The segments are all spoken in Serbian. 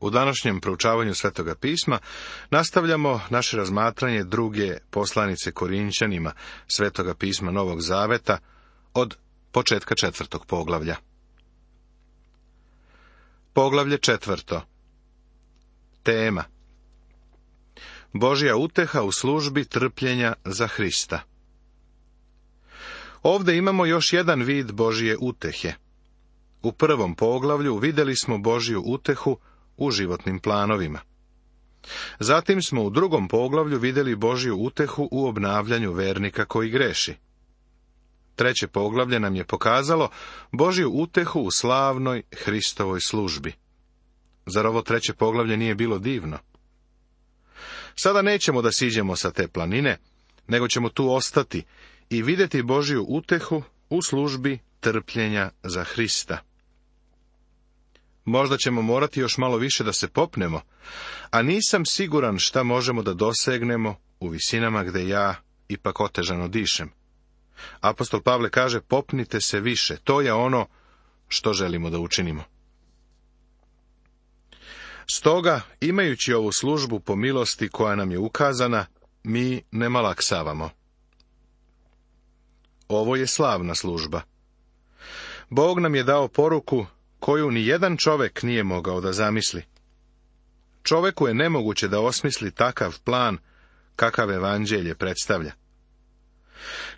U današnjem proučavanju Svetoga pisma nastavljamo naše razmatranje druge poslanice Korinćanima Svetoga pisma Novog Zaveta od početka 4. poglavlja. Poglavlje 4. Tema: Božja uteha u službi trpljenja za Hrista. Ovdje imamo još jedan vid Božje utehe. U prvom poglavlju vidjeli smo Božju utehu u životnim planovima. Zatim smo u drugom poglavlju vidjeli Božju utehu u obnavljanju vernika koji greši. Treće poglavlje nam je pokazalo Božju utehu u slavnoj Hristovoj službi. Zar ovo treće poglavlje nije bilo divno? Sada nećemo da siđemo sa te planine, nego ćemo tu ostati i vidjeti Božju utehu u službi trpljenja za Hrista. Možda ćemo morati još malo više da se popnemo, a nisam siguran šta možemo da dosegnemo u visinama gde ja ipak otežano dišem. Apostol Pavle kaže: popnite se više, to je ono što želimo da učinimo. Stoga, imajući ovu službu po milosti koja nam je ukazana, mi ne malaksavamo. Ovo je slavna služba. Bog nam je dao poruku koju ni jedan čovek nije mogao da zamisli. Čoveku je nemoguće da osmisli takav plan kakav evanđelje predstavlja.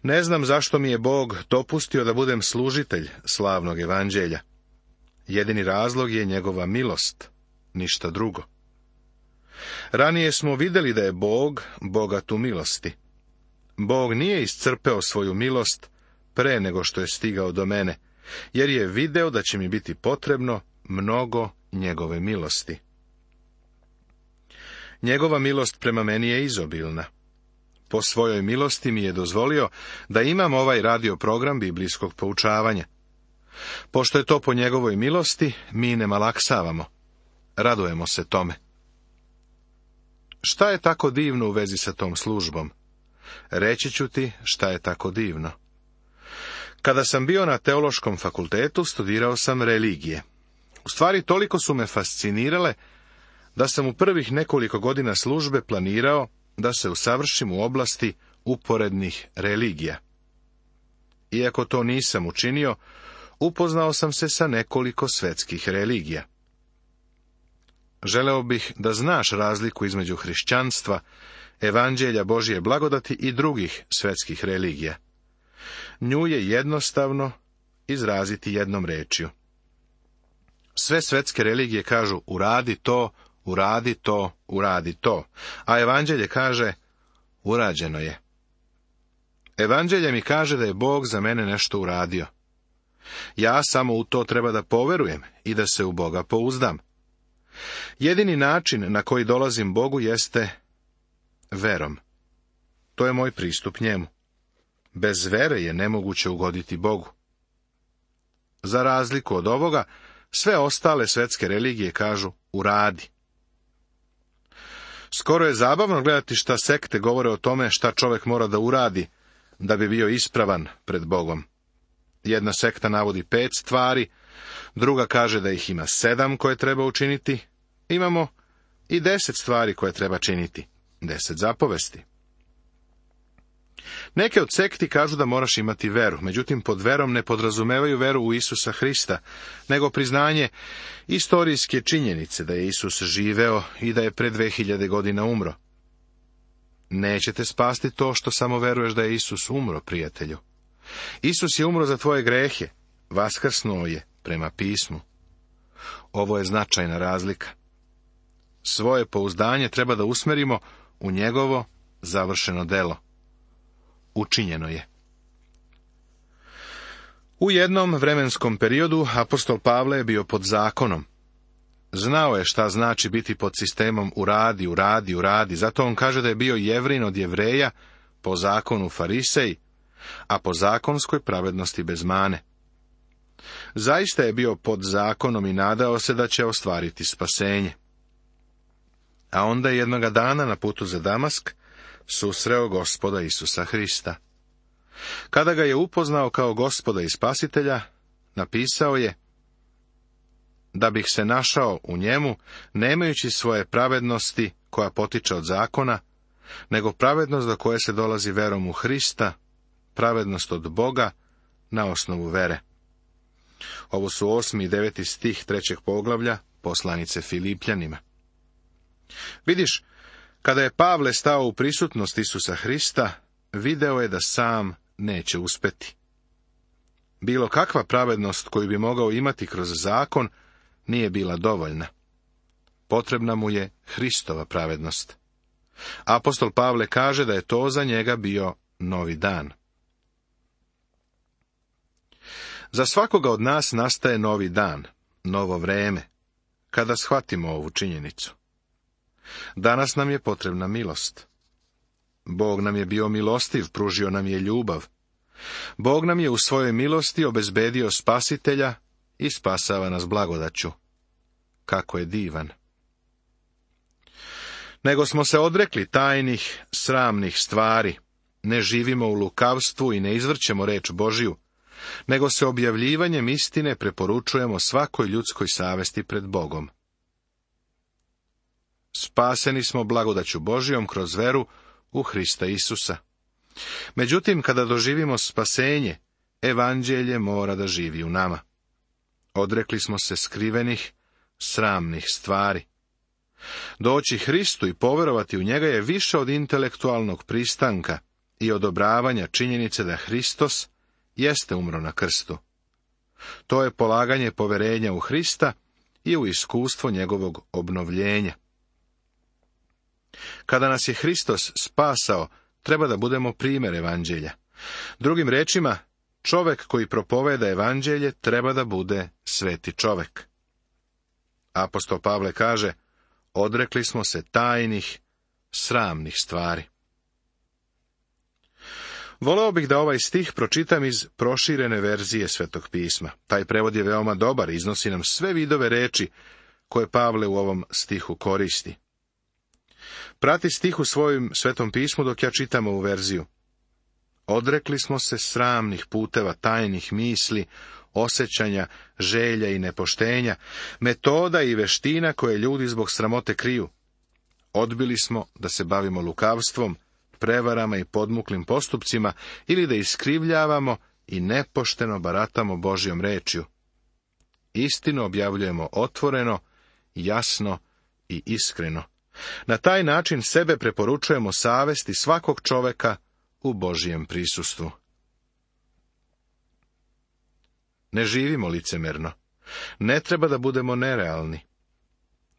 Ne znam zašto mi je Bog dopustio da budem služitelj slavnog evanđelja. Jedini razlog je njegova milost, ništa drugo. Ranije smo vidjeli da je Bog bogat u milosti. Bog nije iscrpeo svoju milost pre nego što je stigao do mene, jer je video da će mi biti potrebno mnogo njegove milosti. Njegova milost prema meni je izobilna. Po svojoj milosti mi je dozvolio da imam ovaj radio program biblijskog poučavanja. Pošto je to po njegovoj milosti, mi ne malaksavamo. Radujemo se tome. Šta je tako divno u vezi sa tom službom? Reći ću ti šta je tako divno. Kada sam bio na teološkom fakultetu, studirao sam religije. U stvari, toliko su me fascinirale da sam u prvih nekoliko godina službe planirao da se usavršim u oblasti uporednih religija. Iako to nisam učinio, upoznao sam se sa nekoliko svetskih religija. Želeo bih da znaš razliku između hrišćanstva, evanđelja Božje blagodati i drugih svetskih religija. Nju je jednostavno izraziti jednom rečju. Sve svetske religije kažu: uradi to, uradi to, uradi to, a evanđelje kaže: urađeno je. Evanđelje mi kaže da je Bog za mene nešto uradio. Ja samo u to treba da poverujem i da se u Boga pouzdam. Jedini način na koji dolazim Bogu jeste verom. To je moj pristup njemu. Bez vere je nemoguće ugoditi Bogu. Za razliku od ovoga, sve ostale svetske religije kažu: uradi. Skoro je zabavno gledati šta sekte govore o tome šta čovjek mora da uradi da bi bio ispravan pred Bogom. Jedna sekta navodi 5 stvari, druga kaže da ih ima 7 koje treba učiniti. Imamo i 10 stvari koje treba činiti, 10 zapovesti. Neke od sekti kažu da moraš imati veru, međutim pod verom ne podrazumevaju veru u Isusa Hrista, nego priznanje istorijske činjenice da je Isus živeo i da je pre 2000 godina umro. Nećete spasti to što samo veruješ da je Isus umro, prijatelju. Isus je umro za tvoje grehe, vaskrsnuo je prema pismu. Ovo je značajna razlika. Svoje pouzdanje treba da usmerimo u njegovo završeno delo. Učinjeno je. U jednom vremenskom periodu apostol Pavle je bio pod zakonom. Znao je šta znači biti pod sistemom uradi, uradi, uradi, zato on kaže da je bio Jevrin od Jevreja, po zakonu Farisej, a po zakonskoj pravednosti bez mane. Zaista je bio pod zakonom i nadao se da će ostvariti spasenje. A onda je jednoga dana na putu za Damask susreo Gospoda Isusa Hrista. Kada ga je upoznao kao Gospoda i Spasitelja, napisao je: da bih se našao u njemu, nemajući svoje pravednosti koja potiče od zakona, nego pravednost do koje se dolazi verom u Hrista, pravednost od Boga na osnovu vere. Ovo su 8. i 9. stih 3. poglavlja poslanice Filipljanima. Vidiš, kada je Pavle stao u prisutnost Isusa Hrista, video je da sam neće uspeti. Bilo kakva pravednost koju bi mogao imati kroz zakon nije bila dovoljna. Potrebna mu je Hristova pravednost. Apostol Pavle kaže da je to za njega bio novi dan. Za svakoga od nas nastaje novi dan, novo vreme, kada shvatimo ovu činjenicu. Danas nam je potrebna milost. Bog nam je bio milostiv, pružio nam je ljubav. Bog nam je u svojoj milosti obezbedio spasitelja i spasava nas blagodaću. Kako je divan! Nego smo se odrekli tajnih, sramnih stvari, ne živimo u lukavstvu i ne izvrćemo reč Božiju, nego se objavljivanjem istine preporučujemo svakoj ljudskoj savesti pred Bogom. Spaseni smo blagodaću Božijom kroz veru u Hrista Isusa. Međutim, kada doživimo spasenje, evanđelje mora da živi u nama. Odrekli smo se skrivenih, sramnih stvari. Doći Hristu i poverovati u njega je više od intelektualnog pristanka i odobravanja činjenice da Hristos jeste umro na krstu. To je polaganje poverenja u Hrista i u iskustvo njegovog obnovljenja. Kada nas je Hristos spasao, treba da budemo primjer evanđelja. Drugim rečima, čovek koji propoveda evanđelje treba da bude sveti čovek. Apostol Pavle kaže, odrekli smo se tajnih, sramnih stvari. Voleo bih da ovaj stih pročitam iz proširene verzije Svetog pisma. Taj prevod je veoma dobar, iznosi nam sve vidove reči koje Pavle u ovom stihu koristi. Prati stih u svojim Svetom pismu dok ja čitam ovu verziju. Odrekli smo se sramnih puteva, tajnih misli, osjećanja, želja i nepoštenja, metoda i veština koje ljudi zbog sramote kriju. Odbili smo da se bavimo lukavstvom, prevarama i podmuklim postupcima ili da iskrivljavamo i nepošteno baratamo Božjom rečju. Istinu objavljujemo otvoreno, jasno i iskreno. Na taj način sebe preporučujemo savesti svakog čoveka u Božjem prisustvu. Ne živimo licemerno. Ne treba da budemo nerealni.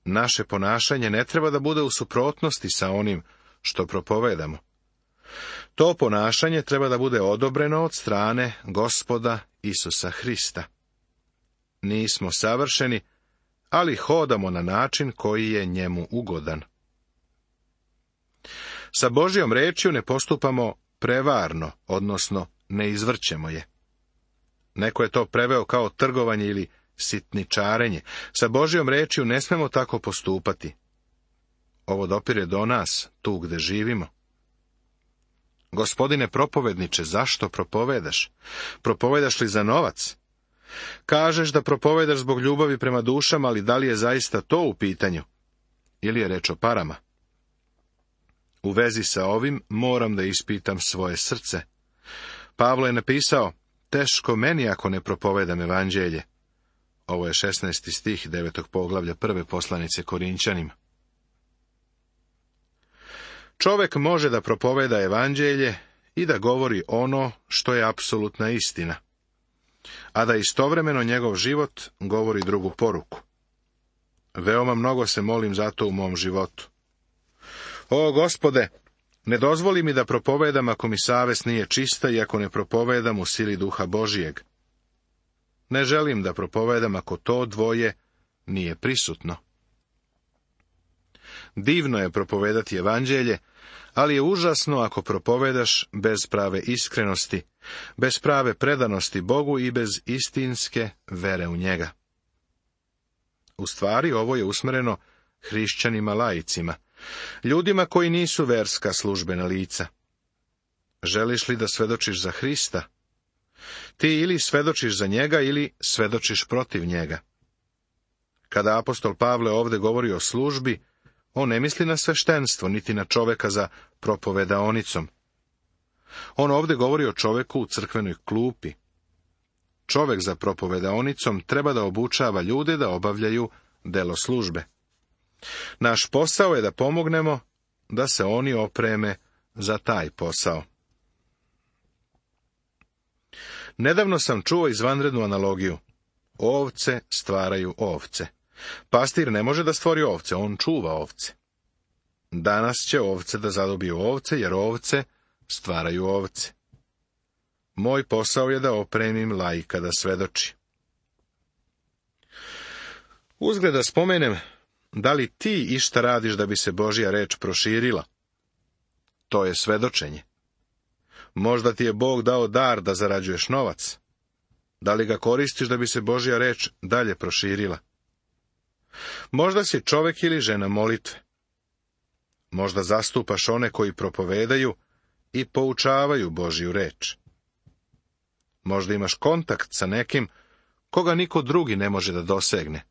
Naše ponašanje ne treba da bude u suprotnosti sa onim što propovedamo. To ponašanje treba da bude odobreno od strane Gospoda Isusa Hrista. Nismo savršeni, ali hodamo na način koji je njemu ugodan. Sa Božjom rečju ne postupamo prevarno, odnosno ne izvrćemo je. Neko je to preveo kao trgovanje ili sitničarenje. Sa Božjom rečju ne smemo tako postupati. Ovo dopire do nas, tu gde živimo. Gospodine propovedniče, zašto propovedaš? Propovedaš li za novac? Kažeš da propovedaš zbog ljubavi prema dušama, ali da li je zaista to u pitanju? Ili je reč o parama? U vezi sa ovim moram da ispitam svoje srce. Pavlo je napisao, teško meni ako ne propovedam evanđelje. Ovo je 16. stih 9. poglavlja 1. poslanice Korinćanima. Čovek može da propoveda evanđelje i da govori ono što je apsolutna istina, a da istovremeno njegov život govori drugu poruku. Veoma mnogo se molim za to u mom životu. O, Gospode, ne dozvoli mi da propovedam ako mi savest nije čista i ako ne propovedam u sili Duha Božijeg. Ne želim da propovedam ako to dvoje nije prisutno. Divno je propovedati evanđelje, ali je užasno ako propovedaš bez prave iskrenosti, bez prave predanosti Bogu i bez istinske vere u njega. U stvari, ovo je usmereno hrišćanima laicima, ljudima koji nisu verska službena lica. Želiš li da svedočiš za Hrista? Ti ili svedočiš za njega ili svedočiš protiv njega. Kada apostol Pavle ovdje govori o službi, on ne misli na sveštenstvo, niti na čoveka za propovedaonicom. On ovdje govori o čoveku u crkvenoj klupi. Čovek za propovedaonicom treba da obučava ljude da obavljaju delo službe. Naš posao je da pomognemo da se oni opreme za taj posao. Nedavno sam čuo izvanrednu analogiju. Ovce stvaraju ovce. Pastir ne može da stvori ovce, on čuva ovce. Danas će ovce da zadobiju ovce, jer ovce stvaraju ovce. Moj posao je da opremim laika da svedoči. Uzgled da spomenem, da li ti išta radiš da bi se Božja reč proširila? To je svedočenje. Možda ti je Bog dao dar da zarađuješ novac. Da li ga koristiš da bi se Božja reč dalje proširila? Možda si čovek ili žena molitve. Možda zastupaš one koji propovedaju i poučavaju Božju reč. Možda imaš kontakt sa nekim koga niko drugi ne može da dosegne.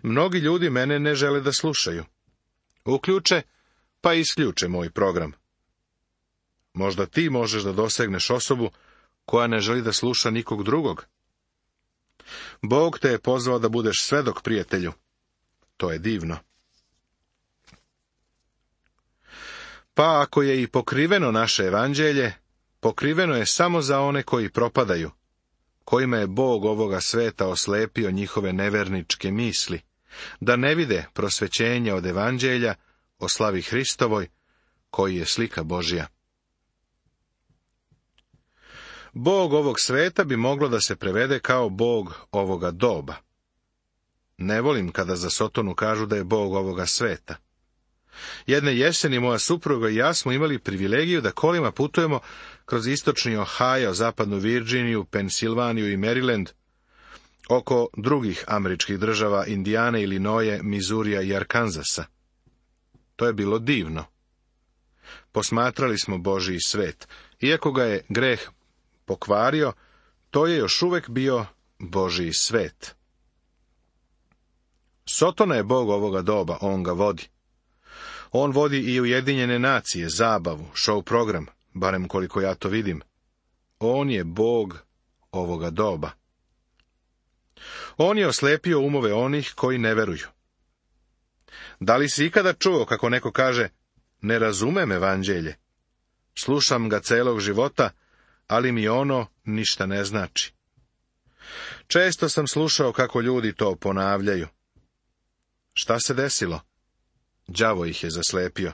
Mnogi ljudi mene ne žele da slušaju. Uključe, pa isključe moj program. Možda ti možeš da dosegneš osobu koja ne želi da sluša nikog drugog. Bog te je pozvao da budeš svedok, prijatelju. To je divno. Pa ako je i pokriveno naše evanđelje, pokriveno je samo za one koji propadaju, kojima je Bog ovoga sveta oslepio njihove neverničke misli, da ne vide prosvećenje od evanđelja o slavi Hristovoj, koji je slika Božja. Bog ovog sveta bi moglo da se prevede kao Bog ovoga doba. Ne volim kada za Sotonu kažu da je Bog ovoga sveta. Jedne jeseni moja supruga i ja smo imali privilegiju da kolima putujemo kroz istočni Ohio, zapadnu Virginiju, Pensilvaniju i Maryland, oko drugih američkih država Indijane, Ilinoje, Mizurija i Arkanzasa. To je bilo divno. Posmatrali smo Božji svet. Iako ga je greh pokvario, to je još uvek bio Božji svet. Sotona je Bog ovoga doba, on ga vodi. On vodi i Ujedinjene nacije, zabavu, show program, barem koliko ja to vidim. On je Bog ovoga doba. On je oslepio umove onih koji ne veruju. Da li si ikada čuo kako neko kaže, ne razumem evanđelje, slušam ga celog života, ali mi ono ništa ne znači. Često sam slušao kako ljudi to ponavljaju. Šta se desilo? Đavo ih je zaslepio.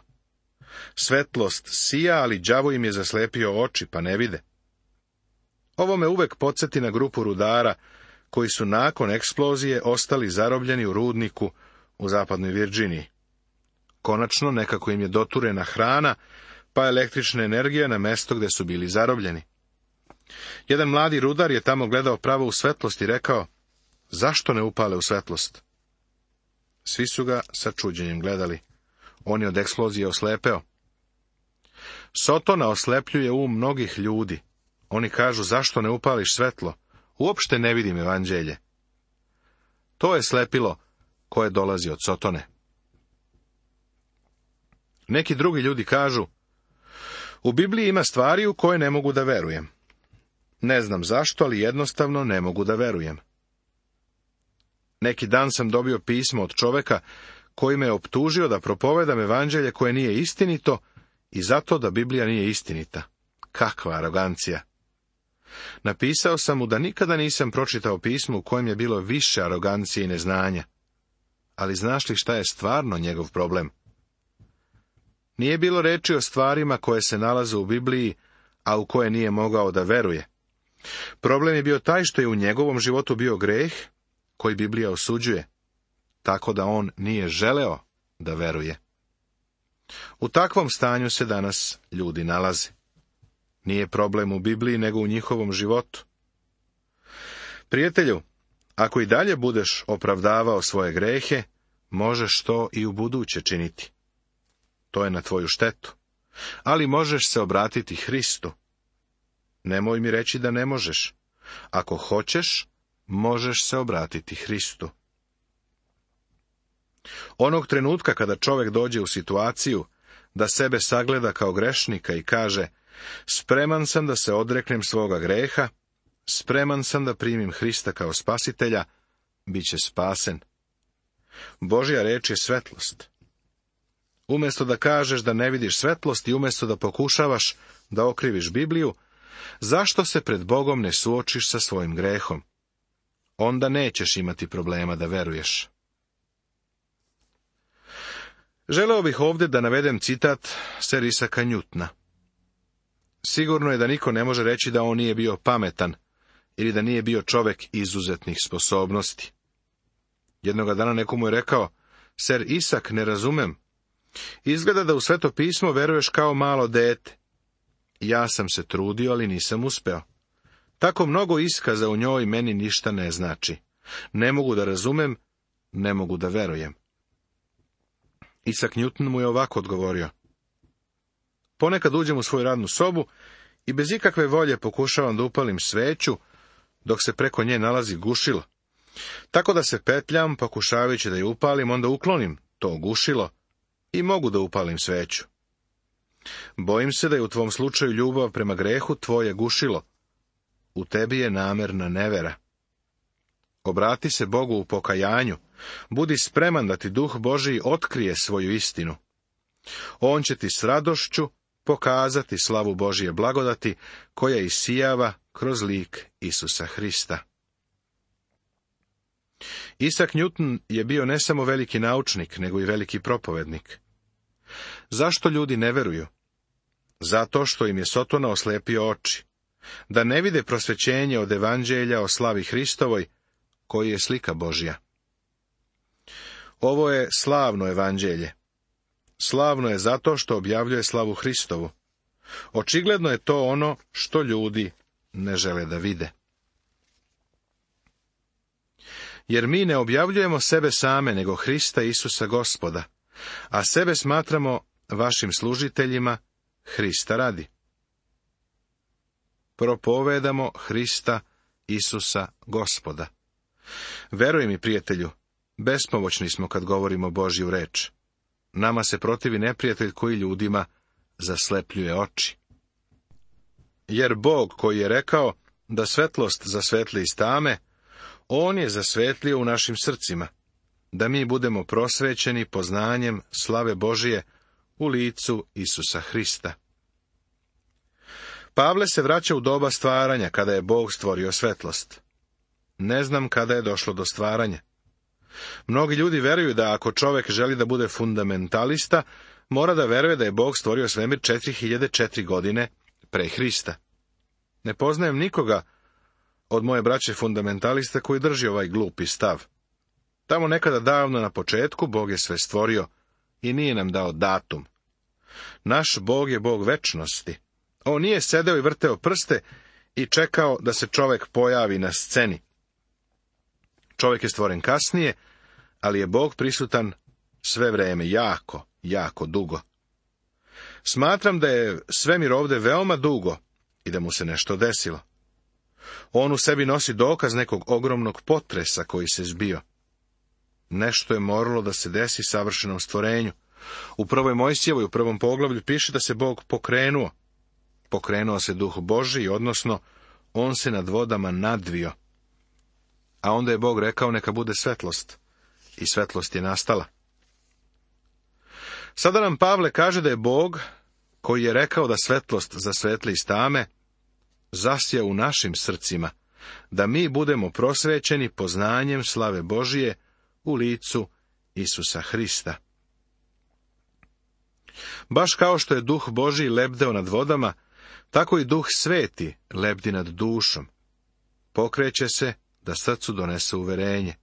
Svetlost sija, ali đavo im je zaslepio oči, pa ne vide. Ovo me uvek podsjeti na grupu rudara, koji su nakon eksplozije ostali zarobljeni u rudniku u zapadnoj Virginiji. Konačno nekako im je doturena hrana, pa električna energija na mesto gde su bili zarobljeni. Jedan mladi rudar je tamo gledao pravo u svetlost i rekao, zašto ne upale u svetlost? Svi su ga sa čuđenjem gledali. On je od eksplozije oslepeo. Sotona oslepljuje mnogih ljudi. Oni kažu, zašto ne upališ svetlo? Uopšte ne vidim evanđelje. To je slepilo koje dolazi od Sotone. Neki drugi ljudi kažu, u Bibliji ima stvari u koje ne mogu da verujem. Ne znam zašto, ali jednostavno ne mogu da verujem. Neki dan sam dobio pismo od čoveka koji me optužio da propovedam evanđelje koje nije istinito i zato da Biblija nije istinita. Kakva arogancija! Napisao sam mu da nikada nisam pročitao pismo u kojem je bilo više arogancije i neznanja. Ali znaš li šta je stvarno njegov problem? Nije bilo reči o stvarima koje se nalaze u Bibliji, a u koje nije mogao da veruje. Problem je bio taj što je u njegovom životu bio greh koji Biblija osuđuje, tako da on nije želeo da veruje. U takvom stanju se danas ljudi nalaze. Nije problem u Bibliji, nego u njihovom životu. Prijatelju, ako i dalje budeš opravdavao svoje grehe, možeš to i u buduće činiti. To je na tvoju štetu. Ali možeš se obratiti Hristu. Nemoj mi reći da ne možeš. Ako hoćeš, možeš se obratiti Hristu. Onog trenutka kada čovjek dođe u situaciju da sebe sagleda kao grešnika i kaže: spreman sam da se odreknem svoga greha, spreman sam da primim Hrista kao spasitelja, bit će spasen. Božja reč je svetlost. Umjesto da kažeš da ne vidiš svetlost i umjesto da pokušavaš da okriviš Bibliju, zašto se pred Bogom ne suočiš sa svojim grehom? Onda nećeš imati problema da veruješ. Želeo bih ovdje da navedem citat Sir Isaaca Newtona. Sigurno je da niko ne može reći da on nije bio pametan ili da nije bio čovjek izuzetnih sposobnosti. Jednoga dana neko mu je rekao: Sir Isaac, ne razumem. Izgleda da u Sveto pismo veruješ kao malo dete. Ja sam se trudio, ali nisam uspeo. Tako mnogo iskaza u njoj meni ništa ne znači. Ne mogu da razumem, ne mogu da verujem. Isaac Newton mu je ovako odgovorio: ponekad uđem u svoju radnu sobu i bez ikakve volje pokušavam da upalim sveću, dok se preko nje nalazi gušilo. Tako da se petljam, pokušavajući da je upalim, onda uklonim to gušilo i mogu da upalim sveću. Bojim se da je u tvom slučaju ljubav prema grehu tvoje gušilo. U tebi je namerna nevera. Obrati se Bogu u pokajanju. Budi spreman da ti Duh Božiji otkrije svoju istinu. On će ti s radošću pokazati slavu Božije blagodati, koja isijava kroz lik Isusa Hrista. Isaac Newton je bio ne samo veliki naučnik, nego i veliki propovednik. Zašto ljudi ne veruju? Zato što im je Sotona oslepio oči, da ne vide prosvećenje od evanđelja o slavi Hristovoj, koji je slika Božja. Ovo je slavno evanđelje. Slavno je zato što objavljuje slavu Hristovu. Očigledno je to ono što ljudi ne žele da vide. Jer mi ne objavljujemo sebe same, nego Hrista Isusa Gospoda, a sebe smatramo vašim služiteljima Hrista radi. Propovedamo Hrista Isusa Gospoda. Veruj mi, prijatelju, bespomoćni smo kad govorimo Božju reč. Nama se protivi neprijatelj koji ljudima zaslepljuje oči. Jer Bog koji je rekao da svetlost zasvetli iz tame, On je zasvetlio u našim srcima, da mi budemo prosvećeni poznanjem slave Božije u licu Isusa Hrista. Pavle se vraća u doba stvaranja, kada je Bog stvorio svetlost. Ne znam kada je došlo do stvaranja. Mnogi ljudi veruju da ako čovjek želi da bude fundamentalista, mora da veruje da je Bog stvorio svemir 4004 godine pre Hrista. Ne poznajem nikoga od moje braće fundamentalista koji drži ovaj glupi stav. Tamo nekada davno na početku Bog je sve stvorio i nije nam dao datum. Naš Bog je Bog večnosti. On nije sedeo i vrteo prste i čekao da se čovjek pojavi na sceni. Čovjek je stvoren kasnije, ali je Bog prisutan sve vreme, jako dugo. Smatram da je svemir ovdje veoma dugo i da mu se nešto desilo. On u sebi nosi dokaz nekog ogromnog potresa koji se zbio. Nešto je moralo da se desi savršenom stvorenju. U 1. Mojsijevoj, u 1. poglavlju piše da se Bog pokrenuo. Pokrenuo se Duh Božji, odnosno on se nad vodama nadvio. A onda je Bog rekao neka bude svetlost. I svetlost je nastala. Sada nam Pavle kaže da je Bog, koji je rekao da svetlost zasvetli iz tame, zasija u našim srcima, da mi budemo prosvećeni poznanjem slave Božije u licu Isusa Hrista. Baš kao što je Duh Božji lebdeo nad vodama, tako i Duh Sveti lebdi nad dušom. Pokreće se da srcu donese uverenje,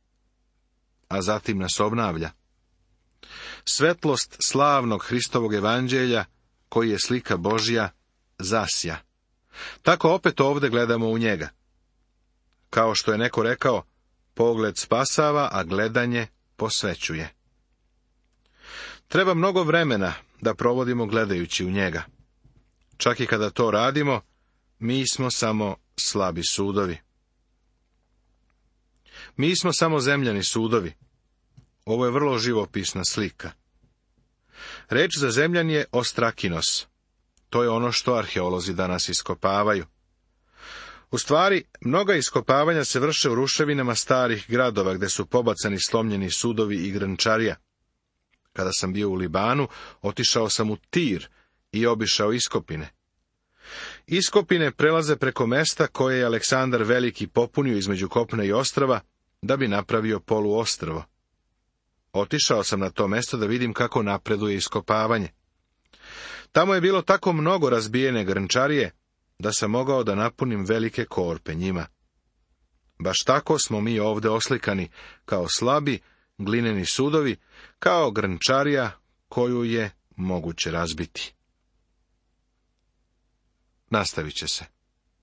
a zatim nas obnavlja. Svetlost slavnog Hristovog evanđelja, koji je slika Božja, zasja. Tako opet ovdje gledamo u njega. Kao što je neko rekao, pogled spasava, a gledanje posvećuje. Treba mnogo vremena da provodimo gledajući u njega. Čak i kada to radimo, mi smo samo slabi sudovi. Mi smo samo zemljani sudovi. Ovo je vrlo živopisna slika. Reč za zemljan je ostrakinos. To je ono što arheolozi danas iskopavaju. U stvari, mnoga iskopavanja se vrše u ruševinama starih gradova gdje su pobacani slomljeni sudovi i grančarija. Kada sam bio u Libanu, otišao sam u Tir i obišao iskopine. Iskopine prelaze preko mesta koje je Aleksandar Veliki popunio između kopna i ostrva, da bi napravio poluostrvo. Otišao sam na to mesto da vidim kako napreduje iskopavanje. Tamo je bilo tako mnogo razbijene grnčarije, da sam mogao da napunim velike korpe njima. Baš tako smo mi ovdje oslikani, kao slabi, glineni sudovi, kao grnčarija koju je moguće razbiti. Nastavit će se.